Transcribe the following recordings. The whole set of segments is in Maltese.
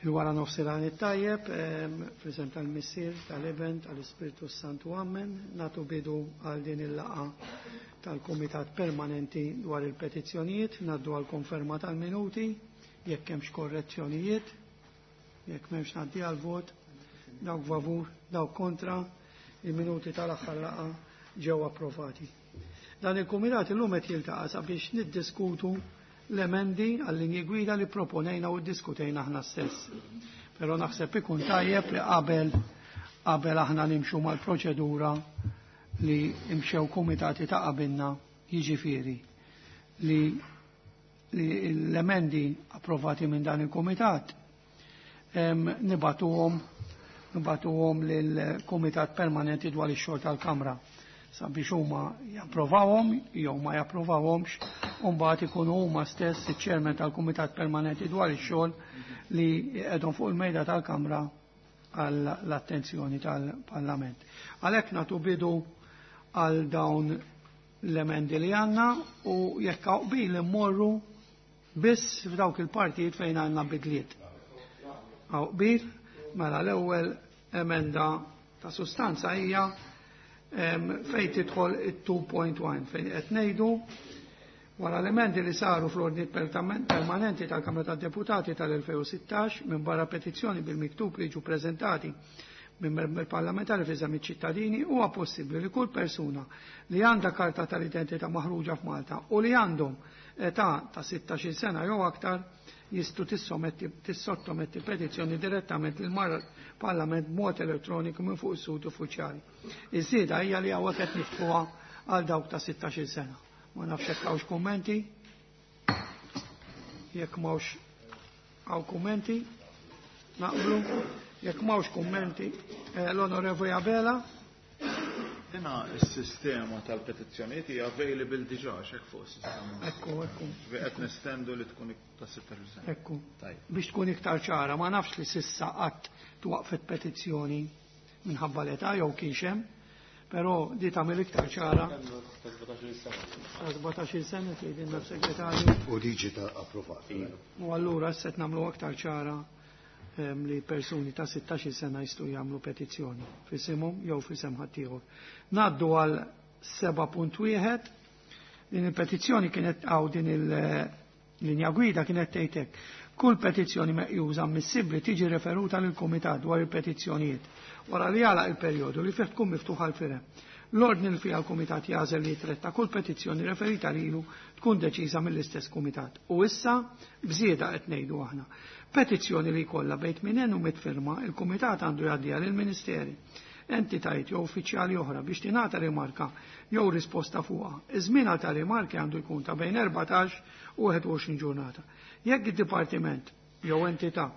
Il-wara nofsinhar it-tajjeb, fl-isem tal-Missier, tal-Iben, tal-Ispirtu Santu Amen, natu bidu għal din il-laqa tal-Kumitat Permanenti dwar il-petizzjonijiet, naddu għal konferma tal-minuti, jekk hemmx korrezzjonijiet, jekk m'hemmx ngħaddi għal vot, dawk favur, dawk kontra, il-minuti tal-aħħar laqa ġew approvati. Dan il-kumitat illum qed jiltaqa' sabiex niddiskutu l-emendi għall-linji gwida li proponejna u ddiskutejna aħna stess. Però naħseb ikun tajjeb li qabel qabel aħna nimxu mal-proċedura li imxew kumitati ta' qabilna, jiġifieri li l-emendi approvati minn dan il-kumitat nibatuhom lill-Kumitat Permanenti dwar ix-xogħol tal-Kamra sabiex huma japprovawhom jew ma japprovawhomx, u mbagħad ikunu huma stess iċ-chairman tal-Kumitat Permanenti dwar ix-xogħol li qegħdhom fuq il-mejda tal-Kamra għall-attenzjoni tal-Parlament. Għalhekk nagħtu bidu għal dawn l-emendi li għandna u jekk hawn qbil immorru biss f'dawk il-partijiet fejn għandna bidliet. Hawn qbil, mela l-ewwel emenda ta' sustanza hija fejn tidħol it-2.1 fejn qed ngħidu wara l-emendi li saru fl-ordni permanenti tal-Kamra tad-Deputati tal-2016 minn barra petizzjoni bil-miktub li ġu preżentati minn membri parlamentari fi żammi ċittadini, huwa possibbli li kull persuna li għandha karta tal-identità maħruġa f'Malta u li għandhom età ta' 16 sena jew aktar jistgħu tissottometti petizzjoni direttament lil Parlament b'mod elettroniku minn fuq is-sut uffiċjali. Iż-żieda hija li hawnhekk qed niftħuha għal dawk ta' 16 sena. Ma nafx jekk hawnx kummenti. Jekk m'hawnx hawn kummenti, naqblu. Jekk m'hawnx kummenti, l-Onorevoli Abela. Dina s-sistema tal-petizzjonijiet hija available diġà x'hekk fuq is-sistema. Ekku, ekku. Qed nestendu li tkun ta' 16 sena. Ekku. Tajjeb. Biex tkun iktar ċara, ma nafx li sissa qatt twaqfet petizzjoni minħabba l-età jew kienx hemm, però di tagħmel iktar ċara. Ta' 17 sena. Ta' 17 sena tgħidilna s-segretarju. U liġi ta' approvata. U allura issa qed nagħmlu aktar ċara li persuni ta' 16 sena jistgħu jagħmlu petizzjoni f'isimhom jew f'isem ħaddieħor. Ngħaddu għal 7.1. Din il-petizzjoni kienet għaw din il-linja gwida kienet tgħid hekk. Kull petizzjoni meqjuża ammissibbli tiġi referuta lil kumitat dwar il-petizzjonijiet wara li jagħlaq il-perjodu li fih tkun miftuħa l-firem. L-ordni li fiha l-kumitat jagħżel li jitretta kull petizzjoni referita lilu tkun deċiża mill-istess kumitat. U issa bżieda qed ngħidu aħna. Petizzjoni li jkollha bejn tmien u mitt firma, il-kumitat għandu jgħaddiha lill-Ministeri, entitajiet jew uffiċjali oħra biex tingħata rimarka jew risposta fuqha. Iż-żmien għal ta' rimarki għandu jkun ta' bejn 14 u 21 ġurnata. Jekk id-dipartiment jew entità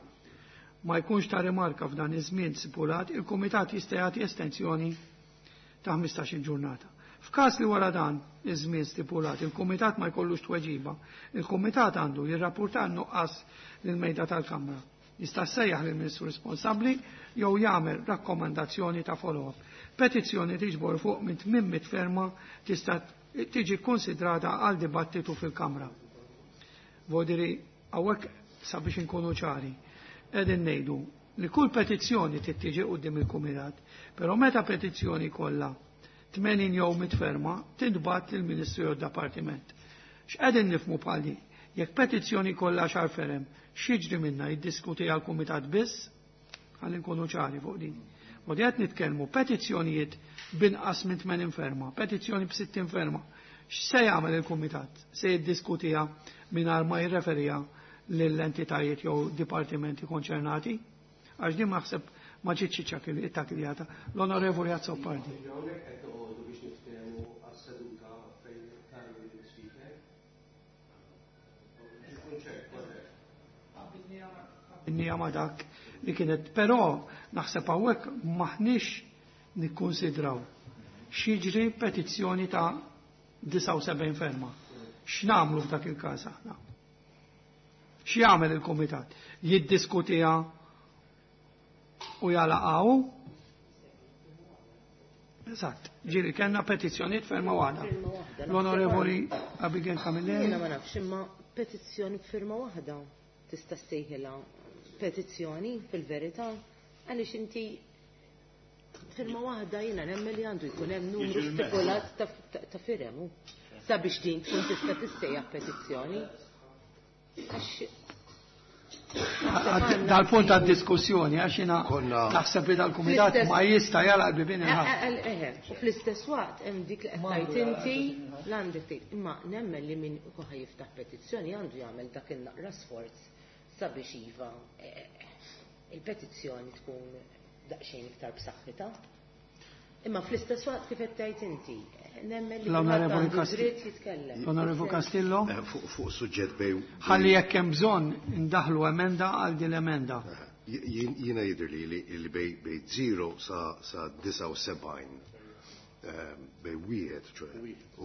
ma jkunx ta' rimarka f'dan iż-żmien stipulat, il-kumitat jista' jagħti estensjoni ta' 15-il ġurnata. F'każ li wara dan iż-żmien stipulat il-kumitat ma jkollux tweġiba, il-kumitat għandu jirrapporta n-nuqqas lill-mejda tal-Kamra. Jista' ssejjaħ lill-Ministru responsabbli jew jagħmel rakkomandazzjoni ta' follow-up. Petizzjoni tiġbor fuq minn 800 ferma tista' tiġi konsidrata għal dibattitu fil-Kamra. Vodiri, hawnhekk sabiex inkunu ċari, qegħdin ngħidu li kull petizzjoni trid tiġi quddiem il-kumitat, però meta petizzjoni kollha 80 jew mitt ferma tintbagħat lill-Ministru jew d-Dipartiment. X'qegħdin nifhmu bħal din? Jekk petizzjoni kollha xar ferem, x'jiġri minna jiddiskuti għal kumitat biss? Ħalli nkunu ċari fuq din. U qed nitkellmu petizzjonijiet binqas minn 80 ferma, petizzjoni b'60 ferma. X'se jagħmel il-kumitat? Se jiddiskutiha mingħajr ma jirreferiha lill-entitajiet jew dipartimenti konċernati? Għax din naħseb ma ġietx iċċakkiljata. L-Onorevoli Azzopardi. Innija ma dak li kienet, però naħseb hawnhekk maħniex nikkonsidraw x'jiġri petizzjoni ta' 79 ferma. X'nagħmlu f'dak il-każ aħna? X'jagħmel il-kumitat? Jiddiskutiha u jalaqgħu? Eżatt, ġieli kellna petizzjonijiet ferma waħda. L-Onorevoli Abigail Camilleri. Jiena ma nafx, imma petizzjoni b'firma waħda tista' ssejħilha. petizzjoni fil-verità, għaliex inti firma waħda jiena nemmen li għandu jkun hemm numru stipulat ta' firem sabiex din tkun tista' tissejjaħ petizzjoni. Dal-punt għad diskussjoni, għax jina naħseb li dal-kumitat ma jista' jalaq bibin il U fl-istess waqt hemm dik li qed tgħid inti l-għandek tgħid, imma nemmen li min ikun ħa jiftaħ petizzjoni għandu jagħmel dak in-naqra sforz sabiex iva il-petizzjoni tkun daqsxejn iktar b'saħħitha. Imma fl-istess waqt kif qed tgħid inti, nemmen li L-Onorevoli dritt jitkellem. L-Onorevoli Castillo? Fuq suġġett bej. Ħalli jekk hemm bżonn indaħlu emenda għal din l-emenda. Jiena jidher li li bej 0 sa 79, bej wieħed ċoe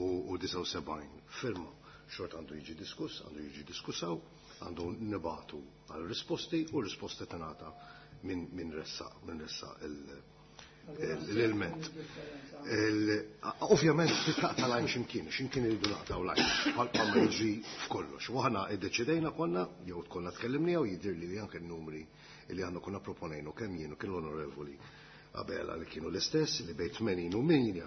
u 79 firma xort għandu jiġi diskuss, għandu jiġi diskussaw, għandu nibatu għal risposti u risposti tingħata minn ressaq l-ilment. Ovvjament titaqta' lajn x'imkien, x'imkien iridu naqtgħu lajn, bħalma jiġri f'kollox. U aħna iddeċidejna konna, jew konna tkellimni jew jidher li anke n-numri li għandna konna proponejnu kemm jien u kien l-Onorevoli Abela li kienu l-istess li bejn 80 u 100.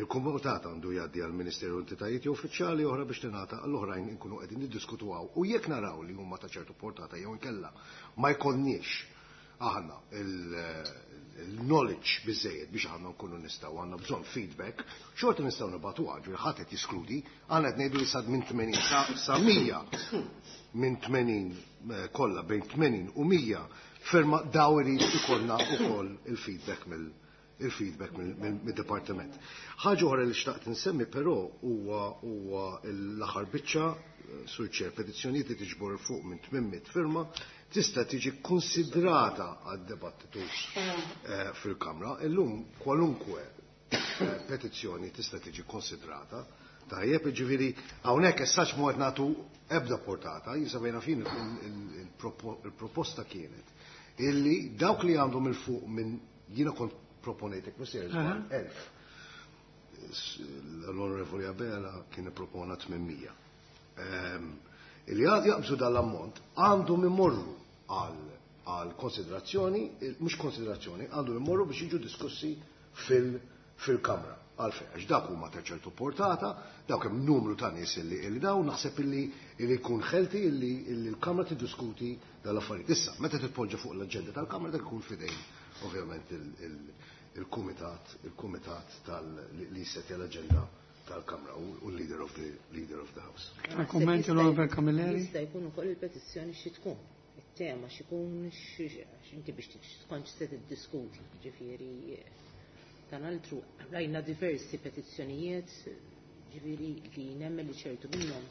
Il-kumitat għandu jgħaddi għal Ministeru entitajiet jew uffiċjali oħra biex tingħata għall-oħrajn inkunu qegħdin niddiskutuha u jekk naraw li huma ta' ċertu portata jew inkella ma jkollniex aħna il-knowledge biżejjed biex aħna nkunu nistgħu għandna bżonn feedback, xorta nistgħu nibagħtu ġifieri ħadd qed jiskludi, aħna qed ngħidu li sad minn 80 sa 100, minn 80 kollha bejn 80 u 100 firma daw irid ikollna wkoll il-feedback mid-dipartiment. Ħaġa oħra li xtaqt insemmi però huwa l-aħħar biċċa sur ċer petizzjonijiet li tiġbor fuq minn 800 firma tista' tiġi konsidrata għad-dibattitu fil-Kamra. Illum kwalunkwe petizzjoni tista' tiġi konsidrata. Tajjeb, ġifieri hawnhekk essax mu qed nagħtu ebda portata, jinsabejna fin il-proposta kienet illi dawk li għandhom il-fuq minn jiena kont proponejtek missier 1000. L-Onorevoli Abela kien ippropona 800. Illi għad jaqbżu dal-ammont għandhom imorru għal konsiderazzjoni, mhux konsiderazzjoni, għandhom imorru biex jiġu diskussi fil-Kamra. Għalfejn, għax dak huma ta' ċertu portata, dawk hemm numru ta' nies illi daw, naħseb illi jkun ħelti illi l-Kamra tiddiskuti dal-affarijiet. Issa, meta titpoġġa fuq l-aġenda tal-Kamra dak ikun fidejn ovvjament il-kumitat li jsetti l-aġenda tal-Kamra u l-leader of the leader of the house. Kummenti l-Onorevole Camilleri? Jista' jkun ukoll il-petizzjoni xi tkun, it-tema xi jkun inti biex tkontx se tiddiskuti, ġifieri tan altru rajna diversi petizzjonijiet, ġifieri li nemmen li ċertu minnhom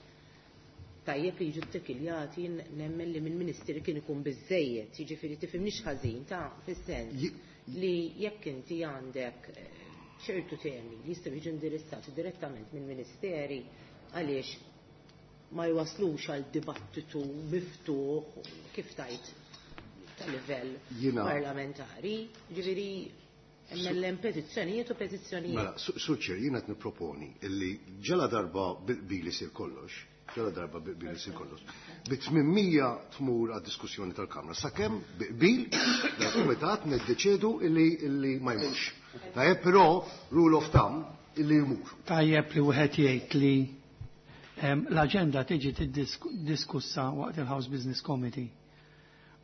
tajjeb li jiġu ttekiljati, nemmen li mill-Ministeri kien ikun biżejjed, jiġifieri tifhimniex ħażin ta' fis-sens li jekk inti għandek ċertu temi li jistgħu jiġu indirizzati direttament mill-Ministeri għaliex ma jwaslux għal dibattitu miftuħ kif tajt ta' livell parlamentari, ġifieri hemm petizzjonijiet u petizzjonijiet. Mela, Suċer, jiena qed nipproponi illi ġala darba bil isir kollox, ġala darba bil isir kollox, bi 800 tmur għad-diskussjoni tal-Kamra, sakemm bil dal-Kumitat niddeċiedu illi ma jmurx. Tajjeb, però rule of thumb illi jmur. Tajjeb li wieħed jgħid li l-aġenda tiġi diskussa waqt il-House Business Committee.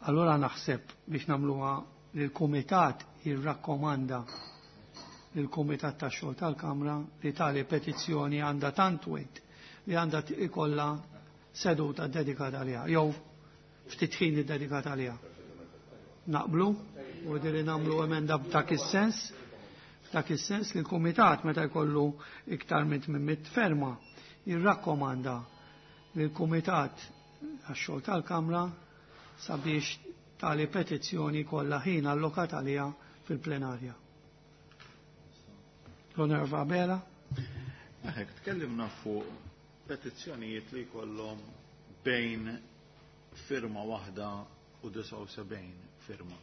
Allora naħseb biex nagħmluha li l-Kumitat jirrakkomanda lill-Kumitat tax-xogħol tal-Kamra li tali petizzjoni għandha tant wejt li għandha ikollha seduta dedikata għaliha jew ftit ħin iddedikata għaliha. Naqblu u li nagħmlu emenda f'dak is-sens, f'dak is-sens li l-Kumitat meta jkollu iktar minn 800 ferma jirrakkomanda lill-Kumitat għax-xogħol tal-Kamra sabiex tali petizzjoni kollha ħin allokat għaliha fil-plenarja. L-Onorevole Abela. Hekk tkellimna fuq petizzjonijiet li jkollhom bejn firma waħda u 79 firma.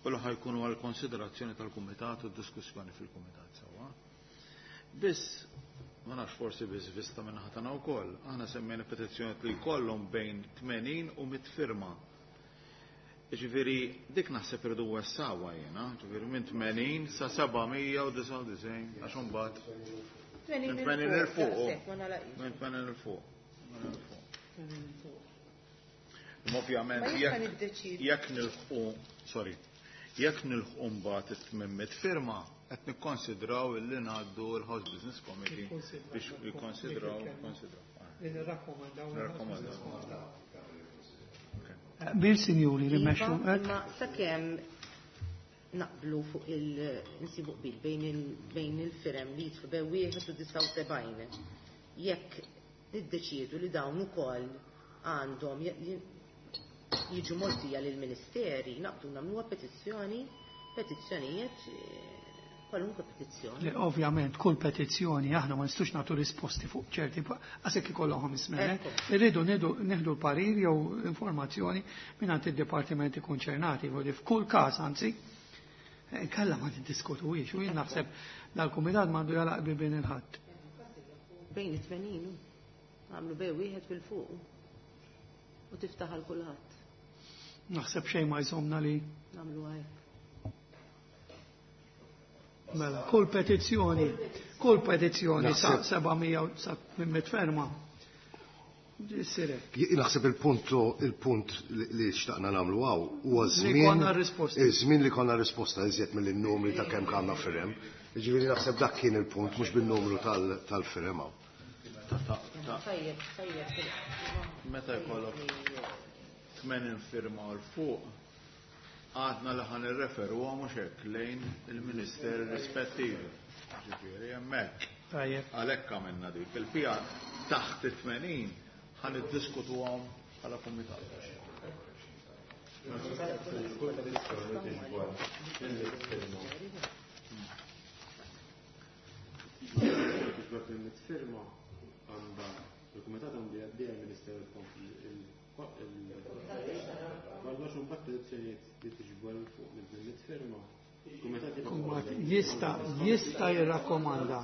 U li ħajkunu għal konsiderazzjoni tal-Kumitat u diskussjoni fil-Kumitat sewwa. Biss ma nafx forsi biss vista minn ħatana wkoll, aħna semmejna petizzjonijiet li jkollhom bejn 80 u 100 firma. Ġifieri dik naħseb irridu wessawha jiena, ġifieri minn 80 sa 799 għax imbagħad minn 80 'il fuq. Minn 80 'il fuq. Imma ovvjament jekk nilħqu, sorry, jekk nilħqu mbagħad it-800 firma qed nikkonsidraw illi ngħaddu l-House Business Committee biex jikkonsidraw konsidraw. Li nirrakkomandaw. Bil sinjuri li mmexxu. Imma sakemm naqblu fuq il-insibu qbil bejn il-firem li jidħlu bejn wieħed u 79. Jekk niddeċiedu li dawn ukoll għandhom jiġu mgħoddija lill-ministeri, naqbdu nagħmluha petizzjoni, petizzjonijiet, kwalunkwe petizzjoni. Le, ovvjament, kull petizzjoni aħna ma nistgħux nagħtu risposti fuq ċerti, għasek ikollhom ismenek. Irridu nieħdu l-parir jew informazzjoni mingħand id-dipartimenti konċernati, voglio f'kull każ anzi, kalla ma niddiskutuhiex u jien naħseb dal-kumitat m'għandu jalaq bibien il-ħadd. Bejn it-80, għamlu bej wieħed fil-fuq u tiftaħ għal kulħadd. Naħseb xejn ma jżomna li nagħmlu hekk. Mela, kull petizzjoni, kull petizzjoni sa 700 sa 800 ferma. Sirek. Naħseb il-punt li xtaqna nagħmlu hawn huwa Li żmien konna risposta. Iż-żmien li konna risposta iżjed mill-numri ta' kemm kellna firem. Jiġifieri naħseb dak kien il-punt mhux bin-numru tal-firem hawn. Tajjeb, tajjeb. Meta jkollok 80 firma l fuq, għadna li ħan irreferu mhux hekk lejn il-ministeri rispettivi. Ġifieri hemmhekk. Tajjeb. Għalhekk għamilna dik. Il-pjan taħt it-80 ħan iddiskutuhom bħala kumitat. Firma għandha il-kumitat għandu jgħaddi għall-Ministeru kollox u mbagħad petizzjonijiet li tiġbor fuq minn firma. Il-kumitat Jista' jirrakkomanda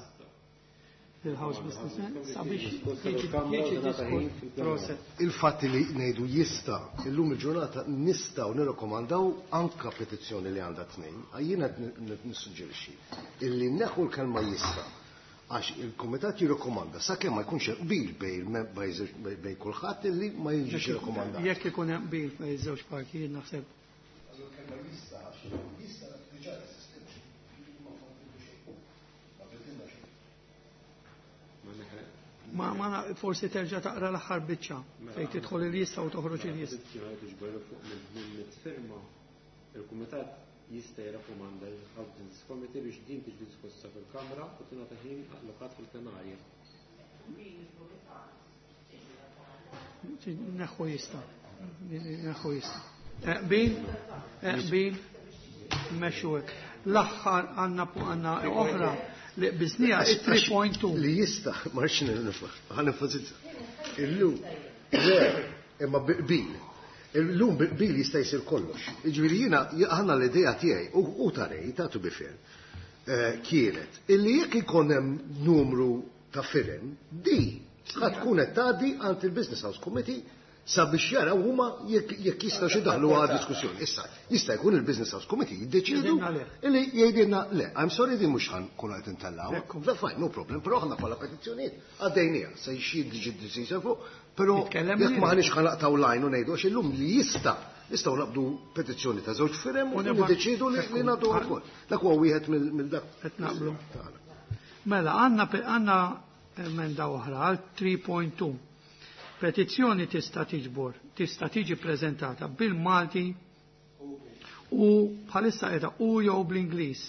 il-House Business sabiex jiġi diskuss. Il-fatt li ngħidu jista' illum il-ġurnata nistgħu nirrakkomandaw anka petizzjoni li għandha tnejn, jiena qed nissuġġerixxi illi neħu l-kelma jista' għax il-kumitat jirrakkomanda sakemm ma jkunx hemm qbil bejn kulħadd illi ma jiġix irrakkomandat. Jekk ikun hemm qbil bejn iż-żewġ partijiet naħseb. Ma forsi terġa' taqra l-aħħar biċċa fejn tidħol il-lista u toħroġ il-lista. Il-kumitat jista' jirrakkomanda l-House Business Committee biex din tiġi diskussa fil-Kamra u tingħata ħin allokat fil-plenarja. Neħu jista'. Neħu jista'. Qbil, qbil, mmexxu hekk. L-aħħar għandna oħra li biznija 3.2. Li jista', ma rridx nifhem, ħa nenfasizza. Illum, le, imma qbil. Illum bil jista' jsir kollox. Jiġifieri jiena aħna l-idea tiegħi u tarej ta' to be fair, kienet illi jekk ikun hemm numru ta' firem, di ħa tkun qed tgħaddi għand il-Business House Committee sabiex jaraw huma jekk jistgħu xi daħlu għal diskussjoni. Issa, jista' jkun il-Business House Committee jiddeċiedu Jgħidilna le. illi jgħidilna le, I'm sorry din mhux ħan nkunu qed intellgħu. Ekku. Le, fine, no problem, però aħna bħala petizzjonijiet għaddejniha, se jxi diġi deċiża fuq, però Nitkellem jekk lil. ma ħanix ħanaqtaw lajn u ngħidu għax illum li jista' nistgħu naqbdu petizzjoni ta' żewġ firem u U nibgħat- niddeċiedu li Ekku. nagħtu wkoll. Dak huwa wieħed mill dak. Qed naqblu. Tagħna. Mela, għandna emenda oħra għal 3.2. Petizzjoni tista' tiġbor, tista' tiġi preżentata bil-Malti u bħalissa qiegħda u jew bl-Ingliż.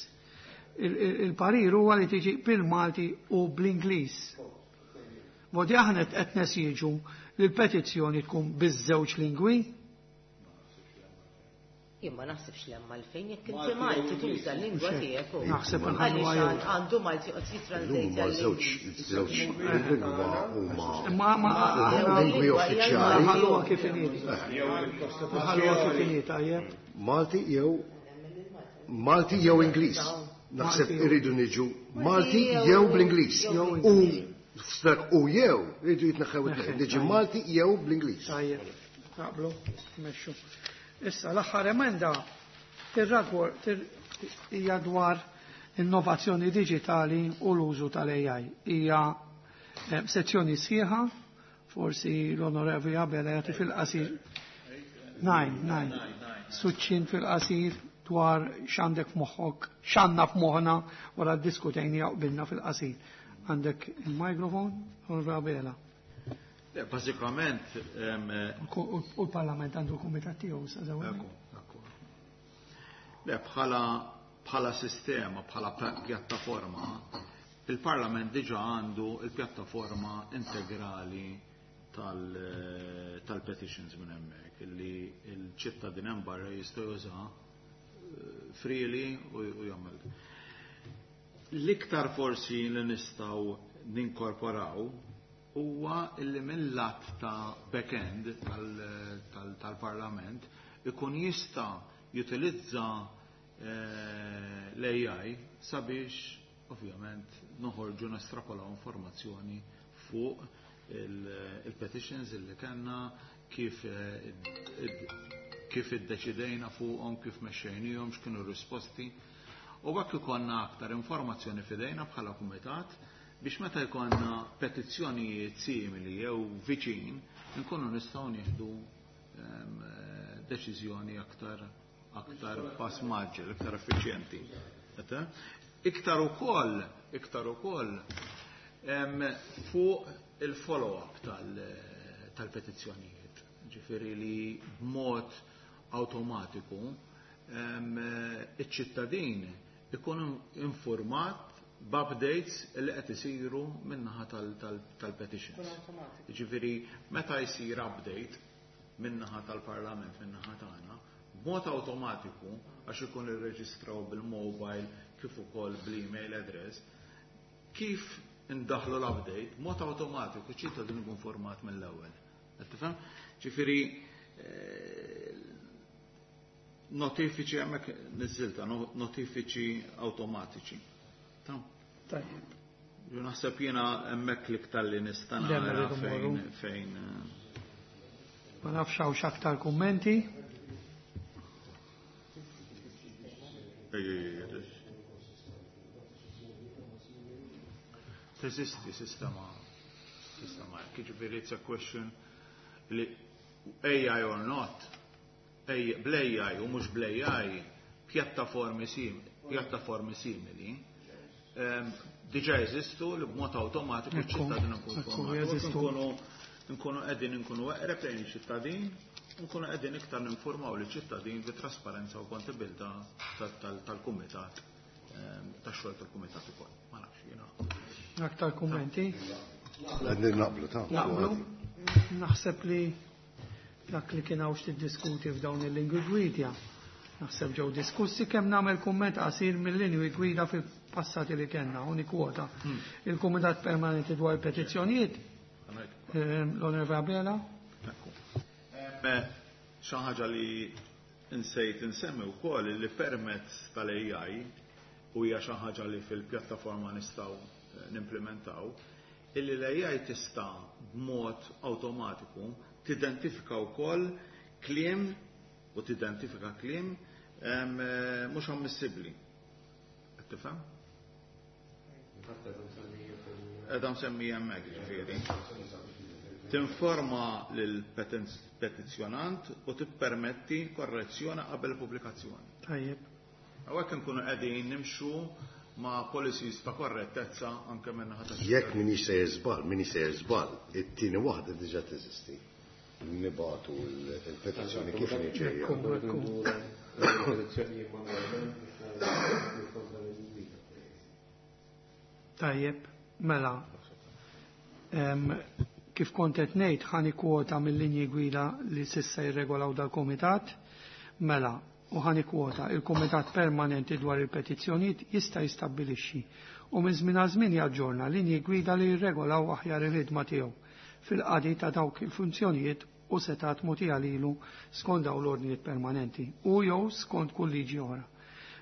Il-parir huwa li tiġi bil-Malti u bl-Ingliż. Vodi aħna qed nesiġu li l-petizzjoni tkun biż-żewġ lingwi? Jien ma naħsibx li hemm għalfejn jekk inti Malti tuża l-lingwa tiegħek u Naħseb għaliex nħallu għajju. għandu Malti qed jitranslate Illum huma għal żewġ lingwa huma Ma, ma, huma aħna lingwi uffiċjali. Nħalluha kif inhi. Nħalluha kif inhi, tajjeb. Malti jew Malti jew Ingliż. Naħseb Malti jew- irridu niġu Malti jew bl-Ingliż. Jew U f'dak u jew irridu jitneħħew it-tnejn. Neħħew, Niġi tajjeb. Malti jew bl-Ingliż. Tajjeb. Naqblu, mexxu. Issa l-aħħar emenda hija dwar innovazzjoni diġitali u l-użu tal-AI. Hija sezzjoni sħiħa, forsi l-Onorevoli Abela jagħti fil-qasir. Najn, najn. Suċċin fil-qasir dwar x'għandek f'moħħok, x'għandna f'moħħna wara ddiskutejni qbilna fil-qasir. Għandek il-mikrofon, Onorevoli Abela. Le, bażikament U l-Parlament għandu l-kumitat tiegħu sa Le, bħala sistema, bħala pjattaforma, il-Parlament diġa għandu il-pjattaforma integrali tal-petitions minn hemmhekk illi l-ċittadin hemm barra jista' juża freely u jagħmel. L-iktar forsi li nistgħu ninkorporaw huwa illi mill-lat ta' back-end tal-Parlament ikun jista' jutilizza l-AI sabiex ovvjament noħorġu nestrapolaw informazzjoni fuq il-petitions illi kellna, kif kif iddeċidejna fuqhom, kif mexxejnihom, x'kienu r-risposti. U hekk ikollna aktar informazzjoni f'idejna bħala kumitat biex meta jkollna petizzjonijiet simili jew viċin nkunu nistgħu nieħdu deċiżjoni aktar pass maġġel, iktar effiċjenti. Iktar ukoll fuq il-follow-up tal-petizzjonijiet. Ġifieri li b'mod awtomatiku iċ-ċittadin ikun informat b'updates li qed isiru min-naħa tal-petitions. Ġifieri meta jsir update min-naħa tal-Parlament, min-naħa tagħna, b'mod awtomatiku għax ikun irreġistraw bil-mobile kif ukoll bl-email address, kif indaħlu l-update, b'mod awtomatiku ċittadin ikun format mill-ewwel. Qed tifhem? Ġifieri notifiċi hemmhekk niżilta, notifiċi awtomatiċi. Tajjeb. Ju naħseb jiena hemmhekk l-iktar li nista' nara fejn. Ma nafx hawn x'aktar kummenti. Teżisti sistema jiġifieri it's a question li AI or not, bl-AI u mhux bl-AI, pjattaformi simili diġà jeżistu li b'mod awtomatiku ċ-ċittadin ikun nkunu qegħdin nkunu eqreb lejn iċ-ċittadin, nkunu qegħdin iktar ninformaw liċ-ċittadin bi trasparenza u kontabilità tal-kumitat, tax-xogħol tal-kumitat ukoll. Ma nafx jiena. Aktar kummenti? Qegħdin naqblu ta' Naqblu. Naħseb li dak li kien hawn x'tiddiskuti f'dawn il-lingwi gwida. Naħseb ġew diskussi kemm nagħmel kumment qasir mill-linji gwida fil-passati li kellna, u nikkwota. Il-Kumitat Permanenti dwar petizzjonijiet, l-Onorevole Abela. Xi ħaġa li nsejt insemmi wkoll li permezz tal-AI u hija xi ħaġa li fil-pjattaforma nistgħu nimplementaw, illi l-AI tista' b'mod awtomatiku tidentifika wkoll kliem u tidentifika kliem mhux ammissibbli. Qed tifhem? Qed msemmi hemmhekk ġifieri. Tinforma lill-petizzjonant u tippermetti korrezzjoni qabel pubblikazzjoni. Tajjeb. Hawnhekk inkunu qegħdin nimxu ma' policies ta' korrettezza anke minn ħadd. Jekk min sejjer żball, it-tieni waħda diġà teżisti. Nibatu l-petizzjoni kif niġejja. Tajjeb, mela. Kif kont qed ngħid ħani kwota mill-linji gwida li s'issa jirregolaw dal-kumitat, mela, u ħani kwota il-Kumitat Permanenti dwar il-Petizzjonijiet jista' jistabbilixxi u minn żmien għal żmien jaġġorna linji gwida li jirregolaw aħjar il-ħidma tiegħu fil-qadi ta' dawk il-funzjonijiet u setat mogħtija lilu skont dawn l-ordnijiet permanenti u jew skont kull liġi oħra.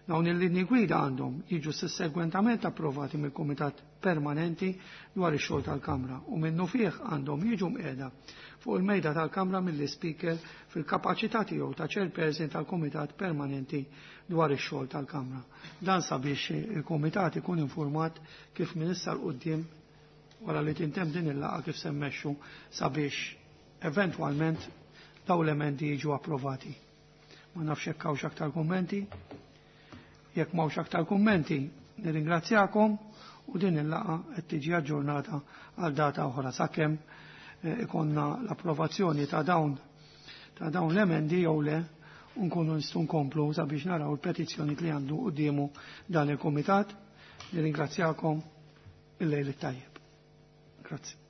Dawn il-linji gwida għandhom jiġu sussegwentament approvati mill-Kumitat Permanenti dwar ix-xogħol tal-Kamra u minnufih għandhom jiġu mqiegħda fuq il-mejda tal-Kamra mill-Ispeaker fil-kapaċità tiegħu ta' chairperson tal-Kumitat Permanenti dwar ix-xogħol tal-Kamra. Dan sabiex il-Kumitat ikun informat kif minn issa 'l quddiem wara li tintemm din il-laqgħa kif se mmexxu sabiex eventwalment dawn l-emendi jiġu approvati. Ma nafx jekk hawnx aktar kummenti. Jekk m'hawnx aktar kummenti, nirringrazzjakom u din il-laqgħa qed tiġi aġġornata għal data oħra sakemm ikonna l-approvazzjoni ta' dawn l-emendi jew le u nkunu nistgħu nkomplu sabiex naraw il-petizzjoni li għandu quddiemu dan il-kumitat. Nirringrazzjakom, il-lejl it-tajjeb. Grazzi.